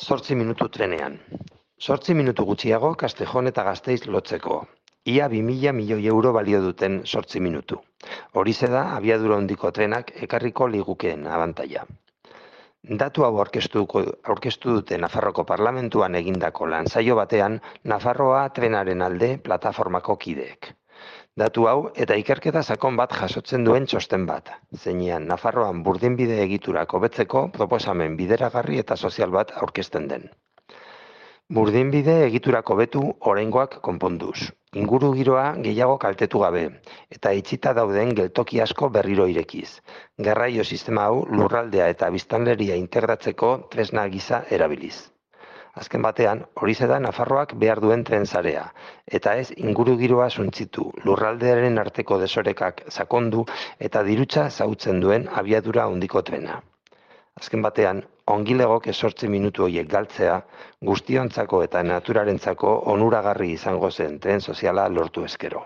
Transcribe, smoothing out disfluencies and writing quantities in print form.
Zortzi minutu trenean. 8 minutu gutxiago Castejon eta Gasteiz lotzeko. Ia 2000 milioi euro balio duten 8 minutu. Horixe da abiadura handiko trenak ekarriko ligukeen abantaila. Datu hau aurkeztu dute Nafarroko Parlamentuan egindako lansaio batean Nafarroa trenaren alde plataformako kideek. Datu hau eta ikerketa sakon bat jasotzen duen txosten bat, zeinean Nafarroan burdinbide egiturak hobetzeko proposamen bideragarri eta sozial bat aurkezten den. Burdinbide egiturak hobetu oraingoak konponduz, ingurugiroa gehiago kaltetu gabe, eta itxita dauden geltoki asko berriro irekiz. Garraio sistema hau lurraldea eta biztanleria integratzeko tresna gisa erabiliz. Azken batean, horixe da Nafarroak behar duen tren sarea, eta ez ingurugiroa suntsitu, lurraldearen arteko desorekak sakondu eta dirutza xahutzen duen abiadura handiko trena. Azken batean, ongi legoke 8 minutu horiek galtzea, guztiontzako eta naturarentzako onuragarri izango zen tren soziala lortu ezkero.